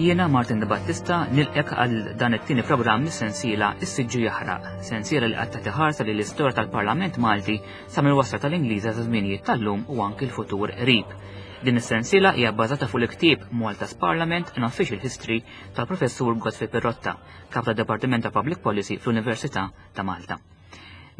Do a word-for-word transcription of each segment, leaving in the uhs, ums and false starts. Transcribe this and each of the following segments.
Jiena Martin De Battista nilqgħek għal dan it-tieni programm mis-sensiela Is-Siġġu Jaħraq, sensiela li qatta tiħarsa li l-istorja tal-Parlament Malti sa mill-wasla tal-Ingliża sa żminijiet tal-lum u anki l-futur qrib. Din is-sensiela hija bbażata fuq il-ktieb Malta's Parliament an Official History tal-Professur Godfrey Pirotta, kap tad-Dipartiment ta' Public Policy fl-Università ta' Malta.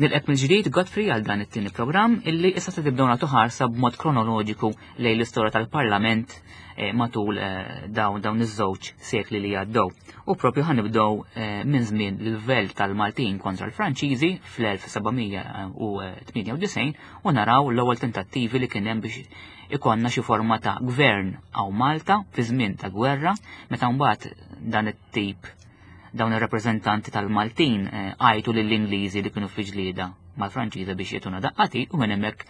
Nilqgħek mill-ġdid Godfrey għal dan it-tieni programm illi issa se tibdew nagħtu ħarsa b'mod kronoloġiku lejn l-istorja tal-Parlament eh, matul eh, dawn dawn iż-żewġ sekli li għaddew. U propju ħa nibdew eh, minn żmien l-irvell tal-Maltin kontra l-Franċiżi fl-elf seba' mija u tmienja u disgħin u naraw l-ewwel tentattivi li kien hemm biex ikollna xi forma ta' gvern hawn Malta fi żmien ta' gwerra, meta mbagħad dan it-tip dawn ir-rappreżentanti tal-Maltin eh, għajtu lill-Ingliżi li kienu fi ġlieda mal-Franċiża biex jagħtuna daqqa t'id u minn hemmhekk,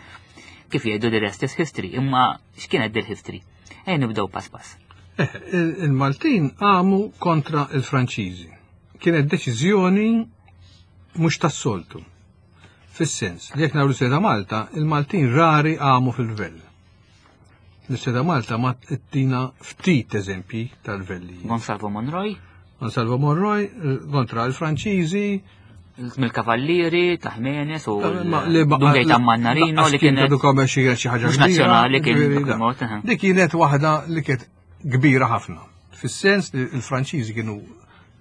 kif jgħidu, the rest is history. Imma x'kienet dil-history? Ejja nibdew pass pass. Eh, il-Maltin għamu kontra il-Franċiżi. Kienet deċiżjoni mhux tas-soltu. Fis-sens li jekk naraw ta' Malta, il-Maltin rari għamu fil-rvell. L-istorja ta' Malta ma ttina ftit eżempji tal-rvelli. Gonsalvo Monroy, Gonsalvo Monroy eh, kontra l-Franċiżi, mill-Kavallieri ta' Jimenez u ma- li ba- Dun Gaetan Mannarino li kienet għadu kome xi xi ħaġa mhux kbira, nazzjonali kien ġifieri dak da. il-mod, aha. Dik kienet waħda li kienet kbira ħafna. Fis-sens li l-Franċiżi kienu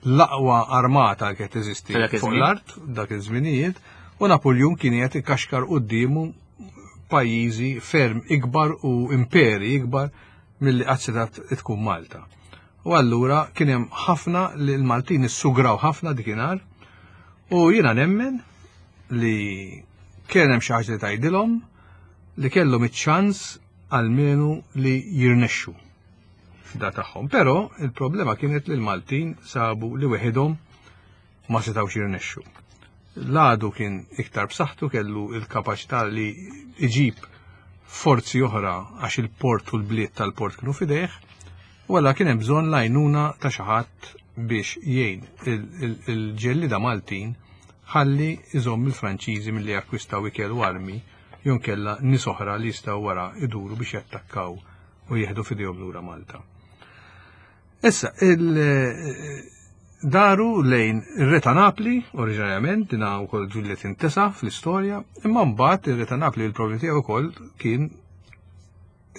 l-aqwa armata li kienet teżisti F'dak fuq iż-żmien. l-art dak iż-żminijiet u Napoleon kien qed ikaxkar quddiemu pajjiżi ferm ikbar u imperi ikbar milli qatt setgħet tkun Malta. U allura kien hemm ħafna li l-Maltin issugraw ħafna dikinhar u jiena nemmen li kien hemm xi ħaġa li tgħidilhom li kellhom iċ-ċans almenu li jirnexxu f'da tagħhom. Però il-problema kienet li l-Maltin sabu li weħidhom ma setgħux jirnexxu. L-għadu kien iktar b'saħħtu, kellu il-kapaċità li iġib forzi oħra għax il-port u l-bliet tal-port kienu fidejh, u għalla kien hemm bżonn l-għajnuna ta' xi ħadd biex jgħin il-ġellida Maltin ħalli iżomm il-Franċiżi milli jakkwistaw ikel u armi jew inkella nies oħra li jistgħu wara iduru biex jattakkaw u jieħdu fidejhom lura Malta. Issa, il- daru lejn ir-Re ta' Napli, oriġinarjament, dina wkoll ġieli tintesa fl-istorja, imma mbagħad ir-Re ta' Napli, il-problemi tiegħu wkoll kien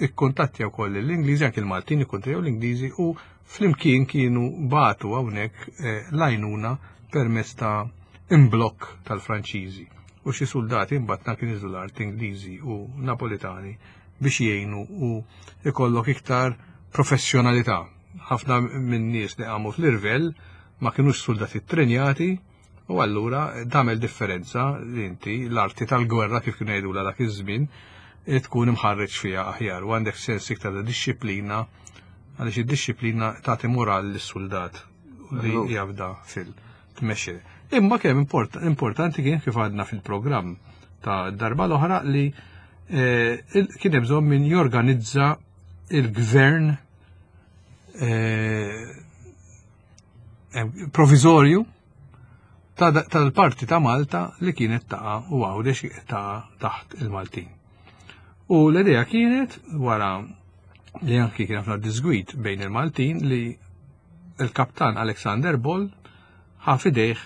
ikkuntattja wkoll l-Ingliżi, anke l-Maltin ikkuntattjaw l-Ingliżi u flimkien kienu bagħtu hawnhekk eh, l-għajnuna permezz ta' imblokk tal-Franċiżi. U xi soldati mbagħad kien niżlu l-art Ingliżi u Napolitani biex jgħinu u ikollok iktar professjonalità. Ħafna minn nies li qamu fl-irvell ma kienux soldati trenjati u allura tagħmel differenza li inti l-arti tal-gwerra, kif kienu jgħidula dak iż-żmien, tkun imħarreġ fiha aħjar u għandek sens iktar ta' dixxiplina, għaliex id-dixxiplina tagħti moral lis-soldat li jafda fil-tmexxi. Imma kemm import importanti kien, kif għadna fil-programm ta' darba l-oħra, li eh, il- kien hemm bżonn min jorganizza il-gvern eh, eh, provizorju ta' tal-parti ta' Malta li kienet taqa' u Għawdex taqa' taħt il-Maltin. U l-idea kienet, wara li anki kien ħafna disgwid bejn il-Maltin, li il-kaptan Alexander Ball ħa f'idejh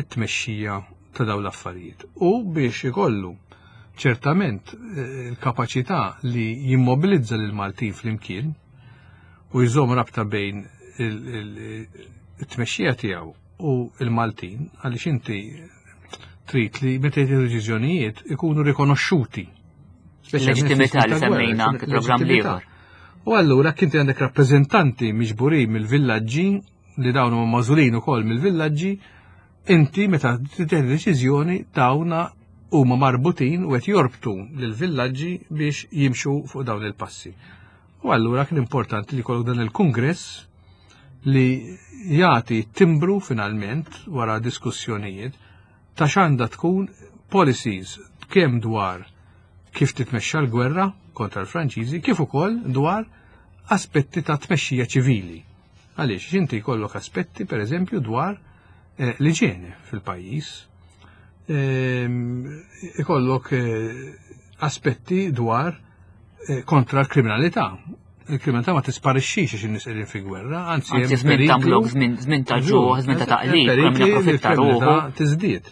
it-tmexxija ta' dawn l-affarijiet. U biex ikollu ċertament eh, il-kapaċità li jimmobilizza lil Maltin flimkien u jżomm rabta bejn il-tmexxija tiegħu u il-Maltin, għaliex inti trid li meta jtieħdu deċiżjonijiet ikunu rikonoxxuti. Leġittimità li semmejna anke programm ieħor. U allura kinti għandek rappreżentanti miġburin mill-villaġġi li dawn huma magħżulin ukoll mill-villaġġi, inti meta tieħu deċiżjoni dawna huma marbutin u qed jorbtu lill-villaġġi biex jimxu fuq dawn il-passi. U allura kien importanti li jkollok dan il-kungress li jagħti timbru finalment wara diskussjonijiet ta' x'għandha tkun policies, kemm dwar kif titmexxa l-gwerra kontra l-Franċiżi kif ukoll dwar aspetti ta' tmexxija ċivili. Għaliex inti jkollok aspetti, per eżempju, dwar eh, l-iġene fil-pajjiż, ehm, ikollok eh, aspetti dwar eh, kontra l-kriminalità. Il-kriminalità ma tisparixxix għax in-nies qegħdin fi gwerra, anzi Anzi, hemm żmien ta' periklu- mlok, żmien żmien ta' ġuħ, żmien ta' taqlib, Perikli kemm li japprofitta l-kriminalità ruħu. tiżdied.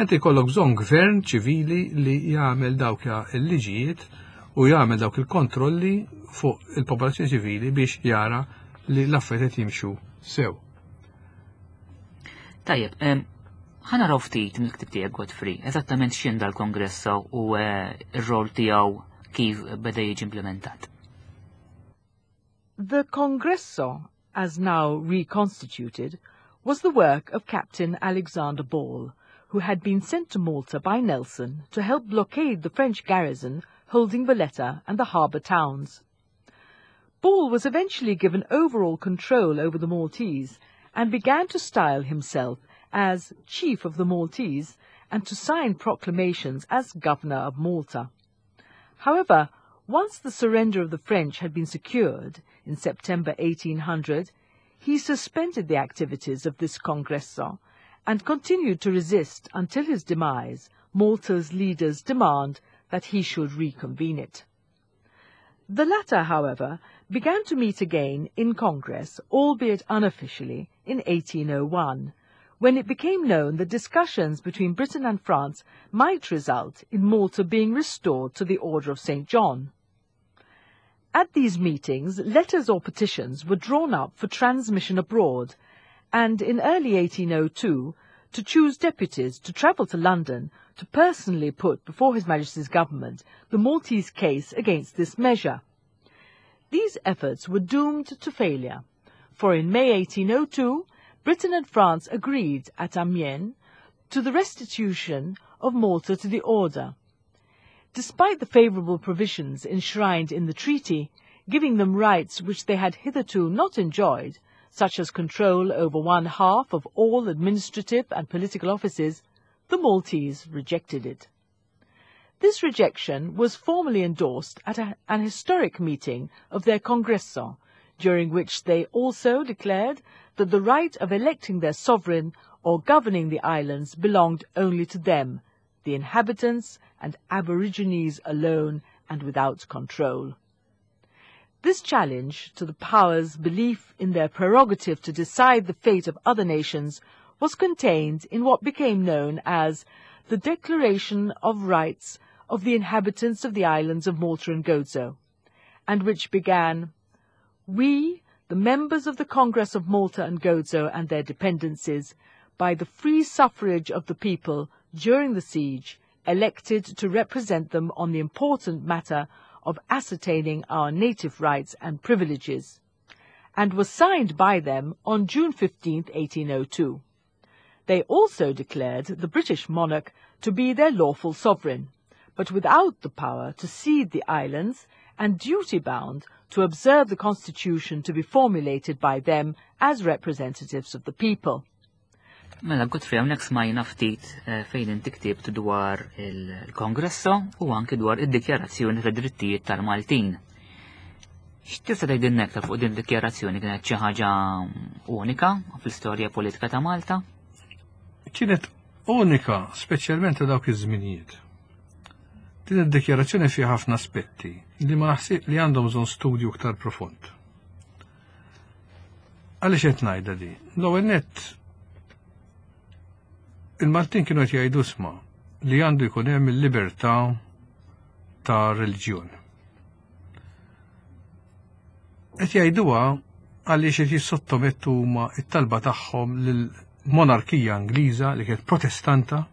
Inti jkollok bżonn gvern ċivili li jagħmel dawk il-liġijiet u jagħmel dawk il-kontrolli fuq il-popolazzjoni ċivili biex jara li l-affarijiet jimxu sew. Tajjeb, em, ħa naraw ftit mill-ktib tiegħek, Godfrey, eżattament x'inhu dal-Congresso u eh, r-rol tiegħu kif beda jiġi implementat. The Congresso, as now reconstituted, was the work of Captain Alexander Ball, who had been sent to Malta by Nelson to help blockade the French garrison holding Valletta and the harbour towns. Ball was eventually given overall control over the Maltese and began to style himself as Chief of the Maltese and to sign proclamations as Governor of Malta. However, once the surrender of the French had been secured in September eighteen hundred, he suspended the activities of this Congresso and continued to resist until his demise Malta's leaders' demand that he should reconvene it. The latter, however, began to meet again in Congress, albeit unofficially, in eighteen oh one, when it became known that discussions between Britain and France might result in Malta being restored to the Order of Saint John. At these meetings, letters or petitions were drawn up for transmission abroad, and in early eighteen oh two to choose deputies to travel to London to personally put before His Majesty's government the Maltese case against this measure. These efforts were doomed to failure, for in May eighteen oh two, Britain and France agreed at Amiens to the restitution of Malta to the Order. Despite the favourable provisions enshrined in the treaty, giving them rights which they had hitherto not enjoyed, such as control over one half of all administrative and political offices, the Maltese rejected it. This rejection was formally endorsed at a, an historic meeting of their Congresso, during which they also declared that the right of electing their sovereign or governing the islands belonged only to them, the inhabitants and aborigines alone and without control. This challenge to the powers' belief in their prerogative to decide the fate of other nations was contained in what became known as the Declaration of Rights of the Inhabitants of the Islands of Malta and Gozo, and which began, "We, the members of the Congress of Malta and Gozo and their dependencies, by the free suffrage of the people during the siege, elected to represent them on the important matter of ascertaining our native rights and privileges," and was signed by them on June fifteenth, eighteen oh two. They also declared the British monarch to be their lawful sovereign, but without the power to cede the islands and duty-bound to observe the constitution to be formulated by them as representatives of the people. Mela, Godfrey, hawnhekk smajna ftit eh, fejn inti ktibt dwar il-Congresso u anki dwar id-dikjarazzjoni ta' drittijiet tal-Maltin. X'tista' tgħidilna aktar fuq din id-dikjarazzjoni? Kienet xi ħaġa unika fl-istorja politika ta' Malta? Kienet unika, speċjalment ta' dawk iż-żminijiet. Din id-dikjarazzjoni fiha ħafna aspetti li ma naħsib li għandhom bżonn studju iktar profond. Għaliex qed ngħidha di? L-ewwel nett, il-Maltin kienu qed jgħidu sma li għandu jkun hemm il-libertà ta' reliġjon. Qed jgħiduha għaliex qed jissottomettu huma it-talba tagħhom lill-monarkija Ingliża li kienet protestanta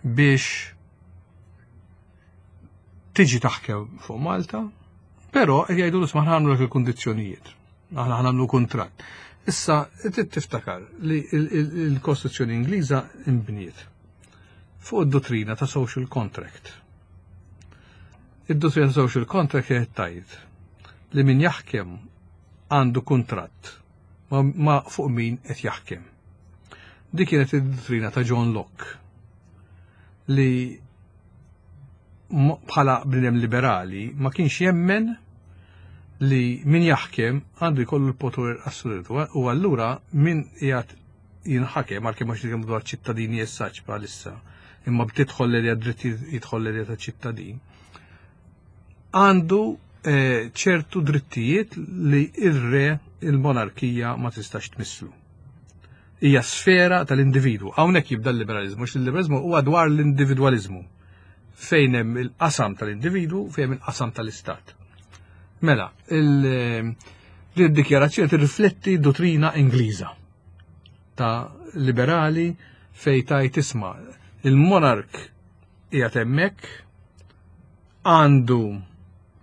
biex tiġi taħkem fuq Malta, però qed jgħidu isma' ħa nagħmlu il-kundizzjonijiet. Aħna ħa nagħmlu kuntratt. Issa, trid tiftakar li il-Kostituzzjoni Ingliża imbniet fuq id-dottrina ta' social contract. Id-dottrina ta' social contract kienet tgħid li min jaħkem għandu kuntratt ma, ma fuq min qed jaħkem. Dik kienet id-dottrina ta' John Locke li bħala bniedem liberali ma kienx jemmen li min jaħkem għandu jkollu l-poter assolutu u allura min qiegħed jinħakem, għalkemm mhux nitkellmu dwar ċittadini essaċ bħalissa, imma btidħol l dritt jidħol l ta' ċittadin, għandu eh, ċertu drittijiet li ir-re, il-monarkija ma tistax tmisslu. Hija sfera tal-individwu. Hawnhekk jibda l-liberalizmu, għax il-liberalizmu huwa dwar l-individwalizmu. Fejn hemm il-qasam tal-individwu, fejn hemm il-qasam tal-istat. Mela, il-dikjarazzjoni tirrifletti dottrina Ingliża ta' liberali fej tajt isma' il-monark qiegħed hemmhekk, għandu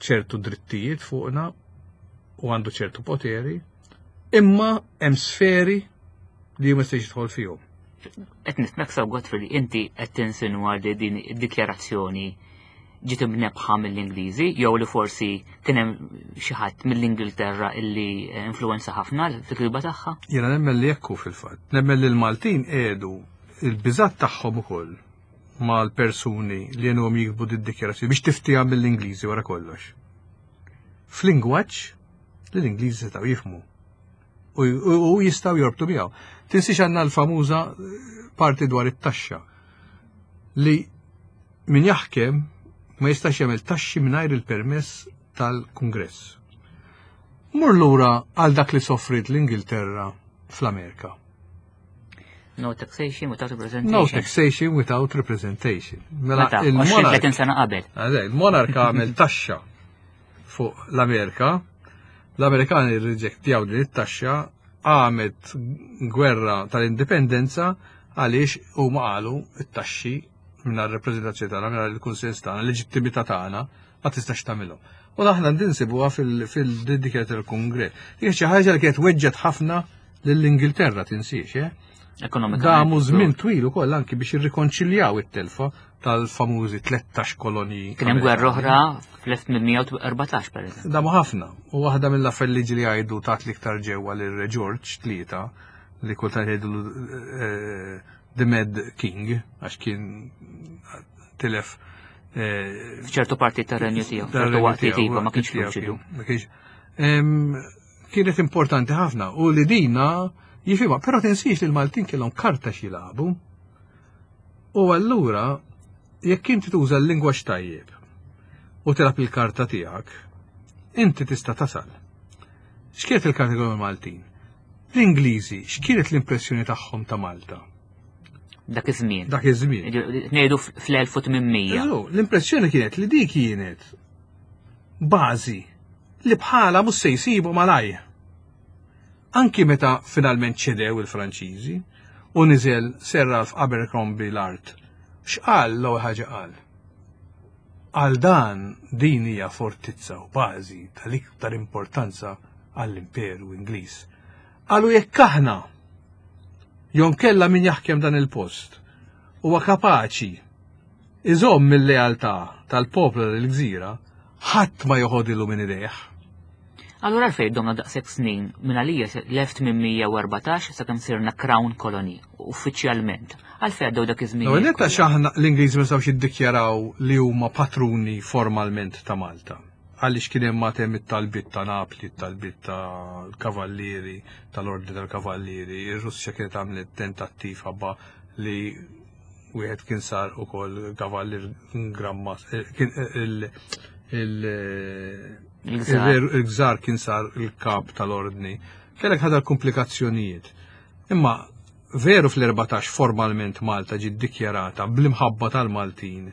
ċertu drittijiet fuqna u għandu ċertu poteri, imma hemm sferi li ma jistax jidħol fihom. Qed nifhmek sew, Godfrey, li inti qed tinsinwa li din id-dikjarazzjoni ġiet imnebbħa mill-Ingliżi jew li forsi kien hemm xi ħadd mill-Ingilterra illi influenza ħafna fil-kitba tagħha? Jiena nemmen li hekk hu fil-fatt. Nemmen li l-Maltin qiegħdu il-biżat tagħhom ukoll mal-persuni li għenuhom jiktbu d-dikjarazzjoni biex tiftiha mill-Ingliżi wara kollox. F'lingwaġġ li l-Ingliżi setgħu jifhmu u, u, u jistgħu jorbtu miegħu. Tinsiex għandna l-famuża parti dwar it-taxxa li min jaħkem ma jistax jagħmel taxxi mingħajr il-permess tal-Kungress. Mur lura għal dak li soffrit l-Ingilterra fl-Amerika. No taxation without representation. No taxation without representation. Mela Meta, għoxrin tletin sena qabel. Għadej, il-monarka għamel taxxa fuq l-Amerika, l-Amerikani rriġettjaw din it-taxxa, għamet gwerra tal-indipendenza għaliex huma qalu it-taxxi mingħajr rappreżentazzjoni tagħna, mingħajr il-kunsens tagħna, l-leġittimità tagħna ma tistax tagħmilhom. U aħna ninsibuha fil-dikjarazzjoni tal-Kungress. Hija xi ħaġa li kienet weġġet ħafna lill-Ingilterra, tinsiex, eh? Ekonomikament. Damu żmien twil ukoll anki biex irrikonċiljaw it-telfa tal-famużi tlettax kolonji. Kien hemm gwerra oħra fl-elf tmien mija u erbatax, per eżempju. Damu ħafna. U waħda mill-affarijiet li jgħidu tat l-iktar ġewwa lil Re George tlieta, li kultant jgħidu eh, The Mad King, għax kien tilef eh, F'ċertu parti tar-renju tiegħu, f'ċertu tar-renju waqtiet tiegħu, iva ma kienx tiegħu luċidu. kien- ma kienx. Em, Kienet importanti ħafna u li dina jifhimha, però tinsiex li l-Maltin kellhom karta x'jilagħbu. U allura jekk inti tuża l-lingwaġġ tajjeb u tilgħab il-karta tiegħek, inti tista' tasal. X'kienet il-karta kellhom il-Maltin? L-Ingliżi, x'kienet l-impressjoni tagħhom ta' Malta? Dak iż-żmien. Dak iż-żmien. Ngħidu fl-elf u tmien mija. Eżu, l-impressjoni kienet li dik kienet bażi li bħala mhux se jsibu malaj. Anki meta finalment ċedew il-Franċiżi u niżel Sir Ralph Abercrombie l-art, x'qal l-ewwel ħaġa qal? Għal dan din hija fortizza u bażi tal-iktar importanza għall-Imperu Ingliż. Qalu jekk aħna jonkella min jaħkem dan il-post huwa kapaċi iżomm mill-lealtà tal-poplu l-gżira, ħadd ma joħodilu minn idejh. Allura għalfejn domna daqshekk snin minn għalija l-elf tmien mija u erbatax sakemm sirna Crown Colony uffiċjalment? Għalfejn għaddew dak iż-żmien? L-ewwel netta x'aħna l-Ingliżi ma setgħux jiddikjaraw li huma patruni formalment ta' Malta. Għaliex kien hemm matem it-talbit ta' Napli, it-talbit tal-Kavallieri, tal-Ordni tal-Kavallieri, ir-Russja kienet għamlet tentattiv ħabba li wieħed kien sar ukoll kavallier gramma eh, kien eh, il il Il-gżar. il-gżar kien sar il-kap tal-ordni. Kellek ħadar komplikazzjonijiet. Imma veru fl-erbatax formalment Malta ġiet dikjarata bl-imħabba tal-Maltin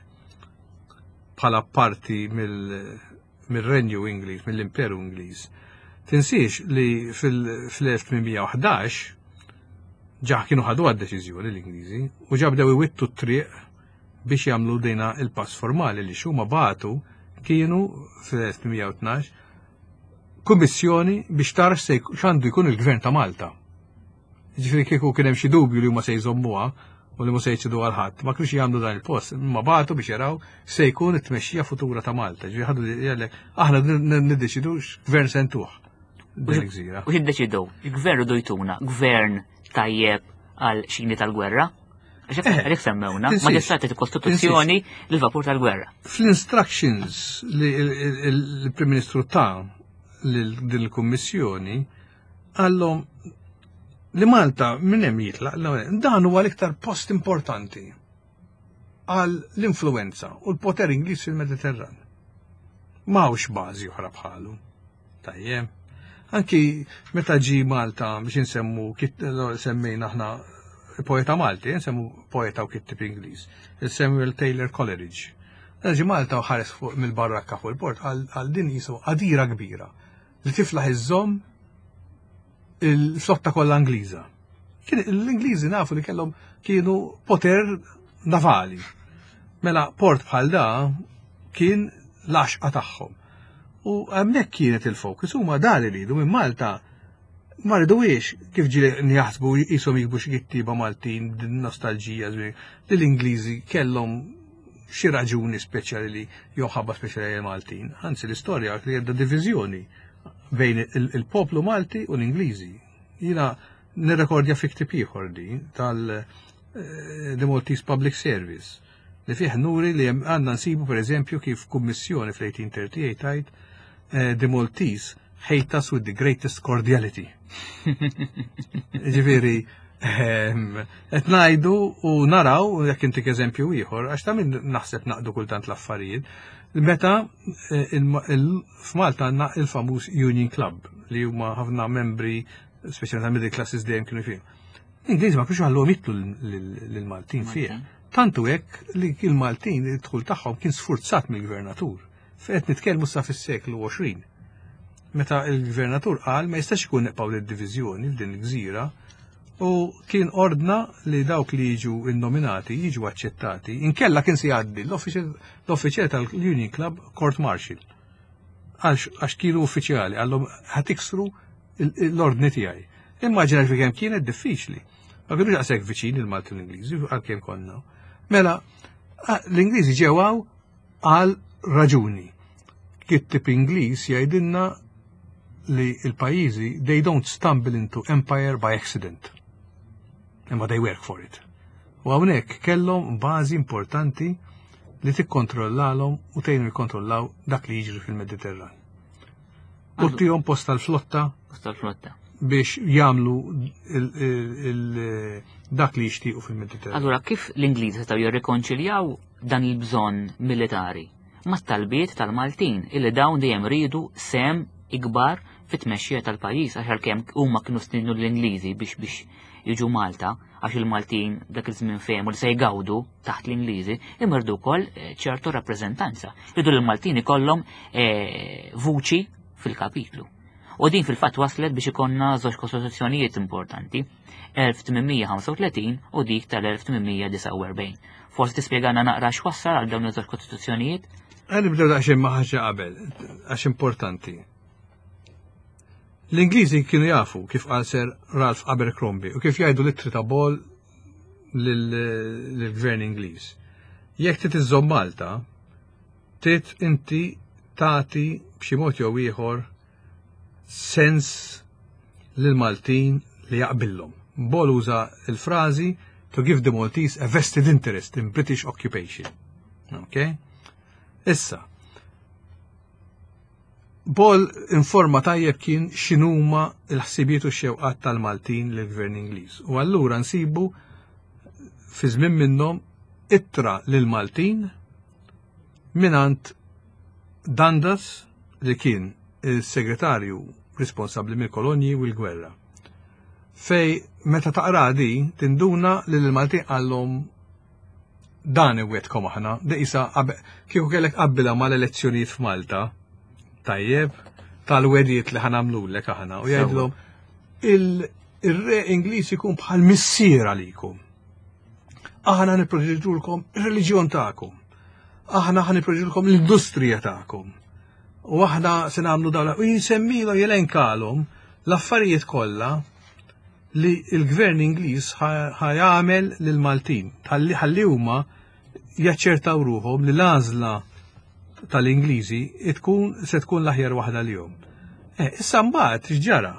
bħala parti mill- mill-Renju Ingliż, mill-Imperu Ingliż. Tinsiex li fil-elf tmien mija u ħdax ġa kienu ħadu għad-deċiżjoni l-Ingliżi u ġa bdew iwittu t-triq biex jagħmlu dejna il-pass formali li xuma batu kienu fil-elf tmien mija u tnax kummissjoni biex tara x'se jk- x'għandu jkun il-gvern ta' Malta. Ġifieri kieku kien hemm xi dubju li huma se jżommuha u li mhux se jċedu għal ħadd, ma kienux jagħmlu dan il-post, imma bagħtu biex jaraw se jkun it-tmexxija futura ta' Malta. Ġifieri ħadu jgħalek aħna niddeċidu x'gvern se ntuh din il-gżira. U x'iddeċidew? Il-gvern riedu jtuna gvern tajjeb għal xini tal-gwerra? Għax Eh, għalhekk semmewna, tinsiex. maġestati Kostituzzjoni l-vapur tal-gwerra. Fl-instructions li il- il- il-Prim Ministru ta' lil din il-Kummissjoni għallhom li Malta minn hemm jitlaq l- dan huwa l-iktar post importanti għal l-influenza u l-poter Ingliż fil-Mediterran. M'hawnx bażi oħra bħalu. Tajjeb. Anki meta ġi Malta biex insemmu, semmejna aħna poeta Malti, nsemmu poeta u kittib Ingliż, il-Samuel Taylor Coleridge. Ġi Malta u ħares fuq mill-barrakka fuq il-port għal din jisu għadira kbira li tiflaħ iżżomm il-flotta kollha Ingliża. L-Ingliżi nafu li kellhom kienu poter navali. Mela port bħal da kien l-għaxqa tagħhom. U hemmhekk kienet il-fokus, huma dan iridu minn Malta ma ridux kif ġieli jaħsbu jisom jikbu xi kittieba Maltin din nostalġija li l-Ingliżi kellhom xi raġuni speċjali li jew ħabba speċjali Maltin. Anzi l-istorja li għedda diviżjoni bejn il-poplu Malti u l-Ingliżi. Jiena nirrekordja fi ktib ieħor di tal eh, The Maltese Public Service li fih nuri li għandna nsibu per eżempju kif kummissjoni fl-eighteen thirty-eight tgħid eh, "The Maltese hate us with the greatest cordiality." Ġifieri, ehm, qed ngħidu u naraw jekk intik eżempju ieħor, għax ta' min naħseb naqdu kultant l-affarijiet, meta eh, f'Malta għandna il-famuż Union Club li huma ħafna membri, speċjalment ta' middle classes, dejjem kienu fih. L-Ingliżi ma kienux ħalluhom jidħlu lill-Maltin fih. Tantu hekk li il-Maltin id-dħul tagħhom kien sfurzat mill-gvernatur. Qed nitkellmu sa fis-seklu għoxrin. Meta il-gvernatur qal ma jistax ikun neqpaw lid-diviżjoni f'din il-gżira u kien ordna li dawk li jiġu innominati jiġu aċċettati. Inkella kien se jgħaddi l-uffiċjal tal-Union Club court martial. Għax kienu uffiċjali, qallhom ħa tiksru l-ordni tiegħi. Immaġina fi kemm kienet diffiċli. Ma kienux daqshekk viċin il-Malti u l-Ingliżi għalkemm konna. Mela, l-Ingliżi ġew għal raġuni. Kittib Ingliż jgħidilna li il-pajjiżi, they don't stumble into empire by accident. Imma they work for it. U hawnhekk kellhom bażi importanti li tikkontrollalhom u tgħinu jikkontrollaw dak li jiġri fil-Mediterran. U tihom post tal-flotta. Post tal-flotta. Biex jagħmlu dak li jixtiequ fil-Mediterran. Allura kif l-Ingliżi setgħu jirrikonċiljaw dan il-bżonn militari mat-talbiet tal-Maltin illi dawn dejjem ridu sehem ikbar fit-tmexxija tal-pajjiż, għax għalkemm huma kienu stiednu l-Ingliżi biex biex jiġu Malta għax il-Maltin dak iż-żmien fehmu li se jgawdu taħt l-Ingliżi, imma riedu wkoll eh, ċertu rappreżentanza. Riedu l-Maltin ikollhom eh, vuċi fil-kapitlu. U din fil-fatt waslet biex ikonna żewġ kostituzzjonijiet importanti, elf tmien mija ħamsa u tletin u dik tal-elf tmien mija disgħa u erbgħin. Forsi tispjegana naqra x'wassal għal dawn iż-żewġ kostituzzjonijiet? Ħa nibdew daqsxejn ma' ħaġa qabel, għax importanti. L-Ingliżi kienu jafu kif qal Sir Ralph Abercrombie u kif jgħidu l-ittri ta' Ball lill-gvern Ingliż. Jekk trid iżżomm Malta, trid inti tagħti b'xi mod jew ieħor sens lil-Maltin li jaqbillhom. Ball uża il-frażi "to give the Maltese a vested interest in British occupation". Okay? Issa, Ball informa tajjeb kien x'inhuma l-ħsibiet u x-xewqat tal-Maltin lill-Gvern Ingliż. U allura nsibu fi żmien minnhom ittra lil-Maltin minant Dundas li kien il-segretarju responsabbli mill-kolonji u l-gwerra. Fej meta taqra di tinduna li l-Maltin qallhom dan iwetkom aħna, di isa kieku kellek qabbilha mal-elezzjonijiet f'Malta, tajjeb, tal-wegħdiet li ħa nagħmlulek aħna, u jgħidlhom il-re Ingliż ikun bħal missier għalikom. Aħna nipproteġulkom ir-reliġjon tagħkom. Aħna ħa nipproteġulkom l-industrija tagħkom. U aħna se nagħmlu dawn u jinsemmilu jelenkalhom l-affarijiet kollha li l-gvern Ingliż ħa jagħmel lill-Maltin. Ħalli huma jaċċertaw ruħhom li l-għażla tal-Ingliżi tkun se tkun l-aħjar waħda lilhom. Eh, issa mbagħad x'ġara?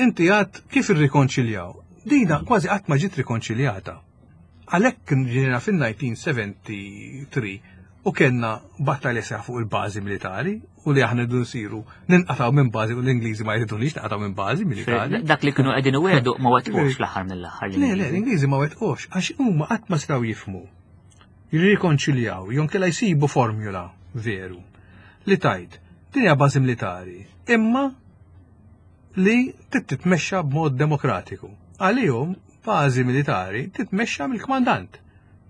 Inti għad kif irrikonċiljaw? Dina kważi qatt ma ġiet rikonċiljata. Għalhekk ġejna fin-elf disa' mija sebgħa u tletin u kellna battalja seħ fuq il-bażi militari u li aħna rridu nsiru ninqataw minn bażi u l-Ingliżi ma jridunix naqataw minn bażi militari. Dak li kienu qegħdin iwegħdu ma wettqux fl-aħħar mill-aħħar. Le, le, l-Ingliżi ma wettqux għax huma qatt ma setgħu jifhmu. Jirrikonċiljaw, jew inkella jsibu formula veru. Li tajt, din hija bażi militari, imma li titmexxa b'mod demokratiku. Għalihom bażi militari titmexxa mill-kmandant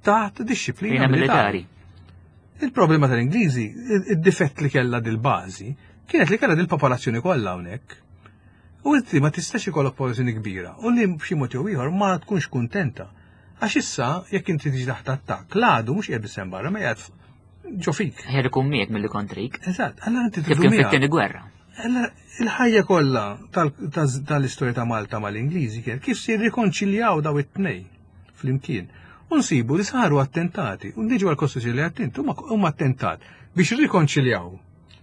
taħt dixxiplina militari. Il-problema tal-Ingliżi, id-difett li kellha dil-bażi, kienet li kellha dil-popolazzjoni kollha hawnhekk. U inti ma tistax ikollok popolazzjoni kbira u li b'xi mod jew ieħor ma tkunx kuntenta. Għax issa jekk inti tiġi taħt attakk, l-għadu mhux qiegħed biss barra ma qiegħed ġo fik. Ħer ikun miegħek milli kontrik. Eżatt, allora inti Kif kien fit-tieni gwerra. Allora il-ħajja kollha tal-istorja ta' Malta mal-Ingliżi kien kif se jirrikonċiljaw daw it-tnejn flimkien. U nsibu li saru attentati, u niġu għal-Kostituzzjoni li attent, huma attentat biex rikonċiljaw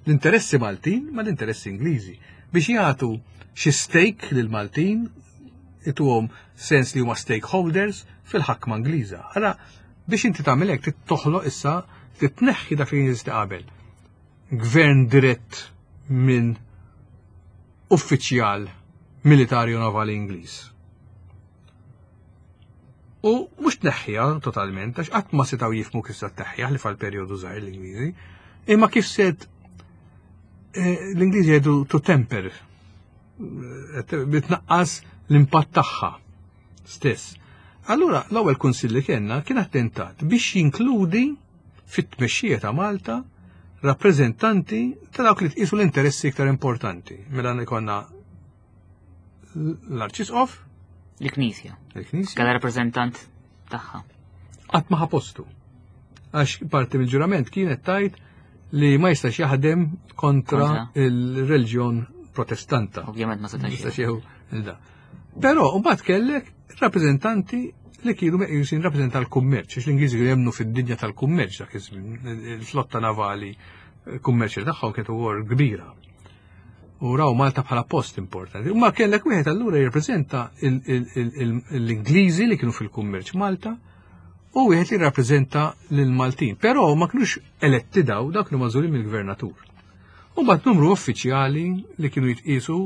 l-interessi Maltin ma l-interessi Ingliżi, biex jagħtu xi stake lil Maltin, ituhom sens li huma stakeholders fil-ħakma Ingliża. Allora biex inti tagħmel hekk toħloq issa titneħħi dak li jeżisti qabel. Gvern dirett minn uffiċjal militari u navali Ingliż. U mhux tneħħiha totalment, għax qatt ma setgħu jifhmu kif se tneħħiha li fal-perjodu żgħir l-Ingliżi, imma kif set eh, l-Ingliżi jgħidu to temper, eh, bitnaqqas l-impatt tagħha stess. Allura l-ewwel kunsill li kellna kien attentat biex jinkludi fit-tmexxija ta' Malta rappreżentanti ta' dawk li tqisu l-interessi iktar importanti. Mela ikonna l-Arċisqof, Il-Knisja. il-Knisja, Kalla rappreżentant tagħha. qatt ma ħa postu. Għax parti mill-ġurament kienet tajt li ma jistax jaħdem kontra Kontra. il-reliġjon protestanta. Ovvjament ma setax. Jistax jieħu da. Però mbagħad kellek rappreżentanti li kienu meqjusin rappreżenta l-kummerċ, għax l-Ingliżi kienu jemmnu fid-dinja tal-kummerċ dak iż-żmien, il-flotta navali kummerċ tagħhom kienet ukoll kbira. U raw Malta bħala post importanti. U ma kellek wieħed allura jirrappreżenta l-Ingliżi li kienu fil-kummerċ Malta u wieħed li jirrappreżenta lill-Maltin. Però ma kinux eletti daw, dak kienu magħżulin mill-gvernatur. U mbagħad numru uffiċjali li kienu jitqisu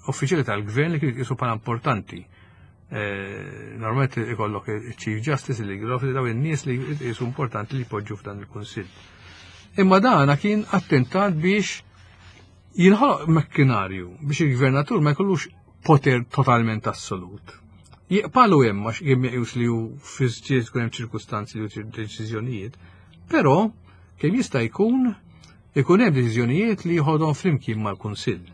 uffiċjali tal-gvern li kienu jitqisu bħala importanti. Eh, Normalment ikollok il-Chief Justice, il-Legal Officer, daw in-nies li jitqisu importanti li jpoġġu f'dan il-Kunsill. Imma dana kien attentat biex jinħoloq makkinarju biex il-gvernatur ma jkollux poter totalment assolut. Jiqpalu hemm għax jiem meqjus li hu fi tkun hemm ċirkustanzi li hu deċiżjonijiet, però kemm jista' jkun ikun hemm deċiżjonijiet li jħodhom flimkien mal-Kunsill.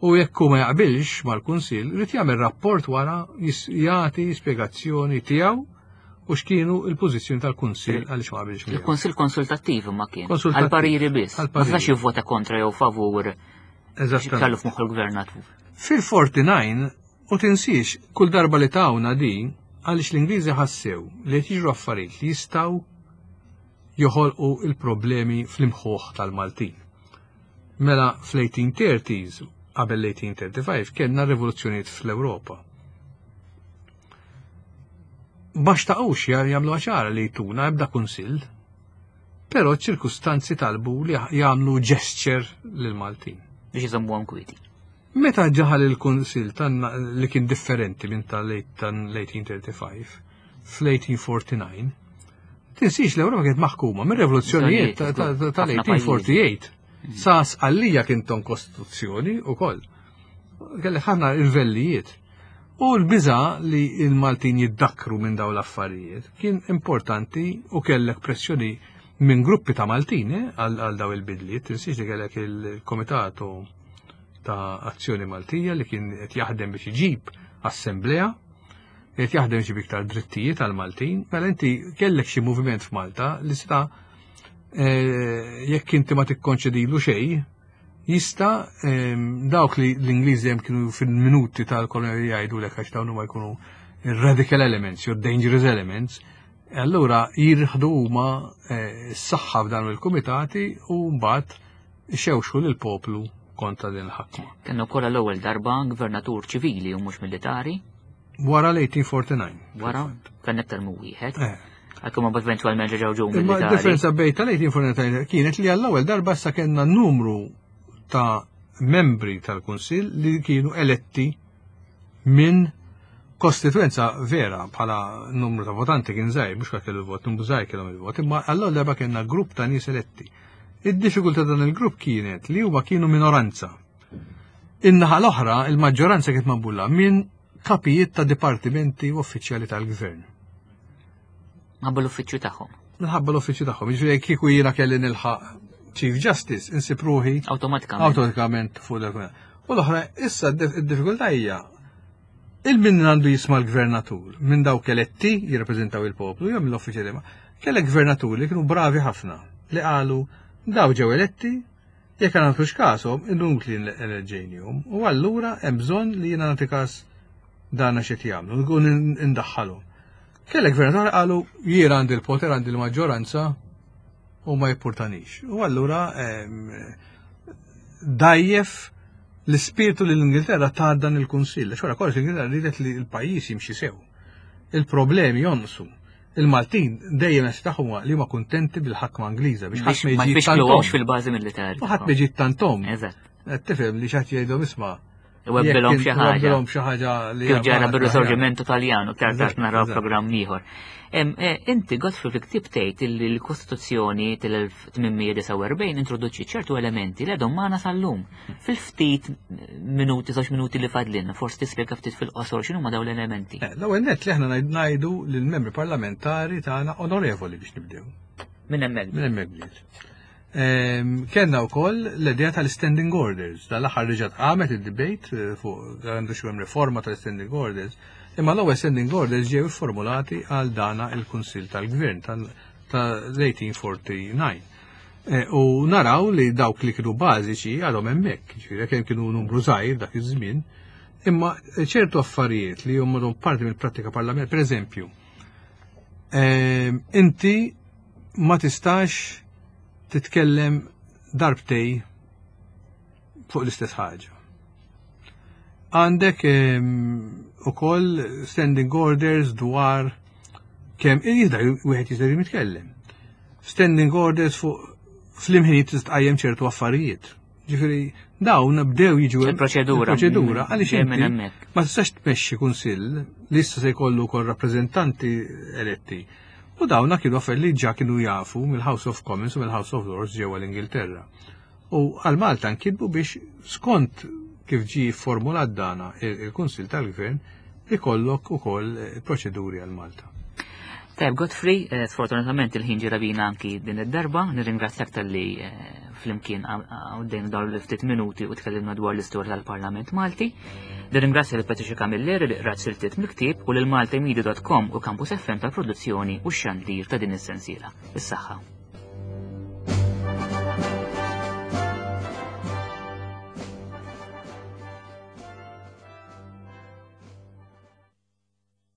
U jekk hu ma jaqbilx mal-Kunsill, irid jagħmel rapport wara jis- jagħti spjegazzjoni tiegħu u x'kienu il-pożizzjoni tal-Kunsill għaliex ma qabilx miegħu. Il-Kunsill konsultattiv ma kien. Konsultattiv. Għal-pariri biss. Ma Għal-pariri. setax jivvota kontra jew favur Eżattament. kellu f'moħħu l-gvernatur. Fil-erbgħa u erbgħin, u tinsiex, kull darba li tawna di, għaliex l-Ingliżi ħassew li qed jiġru affarijiet li jistgħu joħolqu il-problemi fl-imħuħ tal-Maltin. Mela fl-eighteen thirties, qabel l-eighteen thirty-five, kellna rivoluzzjonijiet fl-Ewropa. Ma xtaqux jagħmlu ċara li jtuna ebda kunsill, però ċ-ċirkustanzi talbu li jagħmlu gesture lil-Maltin. Biex iżommuhom kwieti. Meta daħal il-kunsill li kien differenti minn tal-eighteen thirty-five fl-eighteen forty-nine, tinsiex l-Ewropa kienet maħkuma minn rivoluzzjonijiet tal-eighteen forty-eight. Sa Sqallija kien ton kostituzzjoni u koll. Kelli ħafna irvellijiet. U l-biża li il-Maltin jiddakru minn daw l-affarijiet kien importanti u kellek pressjoni minn gruppi ta' Maltin eh, għal daw il-bidliet. Tinsiex li kellek il-Komitatu ta' Azzjoni Maltija li kien qed jaħdem biex iġib assemblea, qed jaħdem biex iġib iktar drittijiet għal Maltin, mela inti kellek xi moviment f'Malta li seta' eh, jekk inti ma tikkonċedilu xejn, jista' ehm, dawk li l-Ingliżi hemm kienu fil-minuti tal-kolonjali jgħidu lek għax dawn huma jkunu radical elements jew dangerous elements, allura jirħdu huma eh, s-saħħa f'dan il-kumitati u mbagħad xewxu lill-poplu kontra din il-ħakma. Kienu kollha l-ewwel darba gvernatur ċivili u mhux militari. Wara l-eighteen forty-nine. Wara, kien aktar minn wieħed. Eh. Għalkemm ma eventwalment ġew ġew Imma militari. differenza bejn tal-eighteen forty-nine kienet li għall-ewwel darba sa kellna numru ta' membri tal-Kunsill li kienu eletti minn kostituenza vera bħala numru ta' votanti kien żgħir, mhux kellu il-vot, numru żgħir kellhom il-vot, imma għall-ewwel darba kellna grupp ta' nies eletti. Id-diffikultà dan il-grupp kienet li huma kienu minoranza. In-naħa l-oħra, il-maġġoranza kienet magħmula minn kapijiet ta' dipartimenti u uffiċjali tal-gvern. Minħabba l-uffiċċju tagħhom. Minħabba l-uffiċċju tagħhom. Jiġifieri kieku jiena kelli nilħaq Chief Justice, insib ruħi Awtomatikament. Awtomatikament fuq dak. U l-oħra, issa d-diffikultà hija il-min għandu jisma' l-gvernatur, minn dawk eletti jirrappreżentaw il-poplu, jew mill-uffiċjali ma. Kellek gvernatur li kienu bravi ħafna, li qalu daw ġew eletti, jekk għandux kasom, inutli eleġġejnihom, u allura hemm bżonn li jiena nagħti każ dana x'qed jagħmlu, nkun indaħħalhom. Kellek gvernatur qalu jiena għandi l-poter, għandi l-maġġoranza u ma jippurtanix. U allura dajjef l-ispirtu li l-Ingilterra ta' dan il-Kunsill. Xora kollox l-Ingilterra ridet li l-pajjiż jimxi sew. Il-problemi jonqsu. Il-Maltin dejjem qed tagħhom li huma kuntenti bil-ħakma Ingliża biex ħadd ma jiġi tantom. Fil-bażi militari. U ħadd ma jiġi tantom. Eżatt. Tifhem li xi ħadd jgħidhom isma' Webbilhom xi ħaġa. Webbilhom xi ħaġa li kif ġara bir-Risorġimento Taljan u ktar tard naraw programm ieħor. Inti Godfrey fil-ktieb tgħid li l-Kostituzzjoni tal-elf tmien mija disgħa u erbgħin introduċi ċertu elementi li għadhom magħna sal-lum. Fil-ftit minuti, żewġ minuti li fadlilna, forsi tispjega ftit fil-qosor x'inhuma dawn l-elementi. L-ewwel nett li aħna ngħidu lill-membri parlamentari tagħna onorevoli biex nibdew. Minn hemmhekk. Minn hemmhekk bdiet. Kellna wkoll l-idea tal-standing orders. Dal-aħħar reġgħet qamet id-debate fuq għandu xi hemm riforma tal-standing orders. Imma l-ewwel standing orders ġew formulati għal dana il-Kunsill tal-Gvern tal-eighteen forty-nine. U naraw li dawk li kienu bażiċi għadhom hemmhekk, ġifieri kemm kienu numru żgħir dak iż-żmien, imma ċertu affarijiet li huma parti mill-prattika parlamentari, pereżempju, inti ma tistax titkellem darbtej fuq l-istess ħaġa. Għandek ukoll standing orders dwar kemm jista' wieħed jista' jitkellem. Standing orders fuq fl-imħinijiet tista' tqajjem ċertu affarijiet. Ġifieri dawn bdew jiġu Il-proċedura. Il-proċedura għaliex Dejjem minn inti hemmhekk. ma tistax tmexxi kunsill li issa se jkollu wkoll rappreżentanti eletti. U dawna kienu affarijiet li ġa kienu jafu mill-House of Commons u mill-House of Lords ġewwa l-Ingilterra. U għal Malta nkitbu biex skont kif ġi formulat dana il-Kunsill tal-Gvern ikollok ukoll proċeduri għal Malta. Tajb, Godfrey, eh, sfortunatament il-ħin ġira bina anki din id-darba, nirringrazzjak tal-li, eh, flimkien għaddejna dawn l-ftit minuti u tkellimna dwar l-istorja tal-Parlament Malti. Nirringrazzja lil Patricia Camilleri li qrat siltiet mill-ktieb u lil Malta Media dot com u Campus F M tal-produzzjoni u x-xandir ta' din is-sensiela. Is-saħħa.